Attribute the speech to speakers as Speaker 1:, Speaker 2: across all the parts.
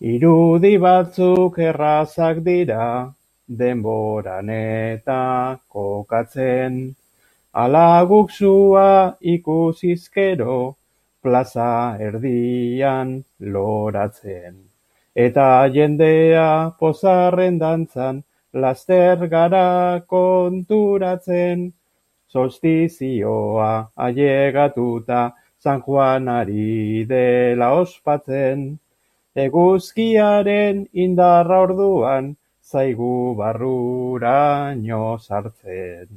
Speaker 1: Irudi batzuk errazak dira, denboran eta kokatzen. Ala guk sua ikusizkero, plaza erdian loratzen. Eta jendea pozarren dantzan, laster gara konturatzen. Solstizioa ailegatuta, San Juanari dela ospatzen. Eguzkiaren indarra orduan, zaigu barruraino sartzen.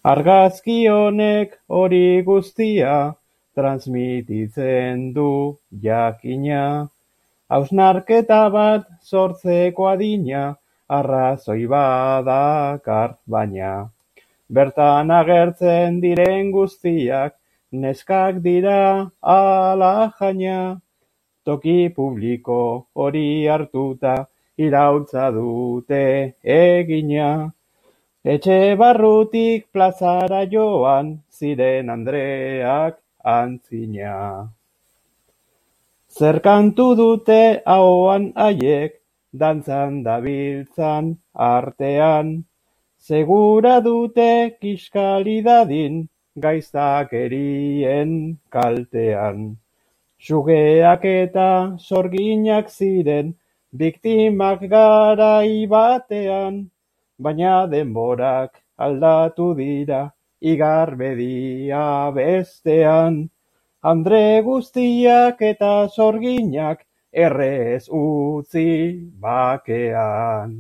Speaker 1: Argazki honek hori guztia, transmititzen du jakina. Hausnarketa bat sortzeko adina, arrazoi badakar baina. Bertan agertzen diren guztiak, neskak dira ala jaina. Toki publiko hori hartuta, iraultza dute egina. Etxe barrutik plazara joan, ziren Andreak antzina. Zer kantu dute ahoan haiek, dantzan dabiltzan artean. Segura dute kiskali dadin, gaiztakerien kaltean. Sugeak eta sorginak ziren, biktimak garai batean. Baina denborak aldatu dira, igarbedia bestean. Andre guztiak eta sorginak errez utzi bakean.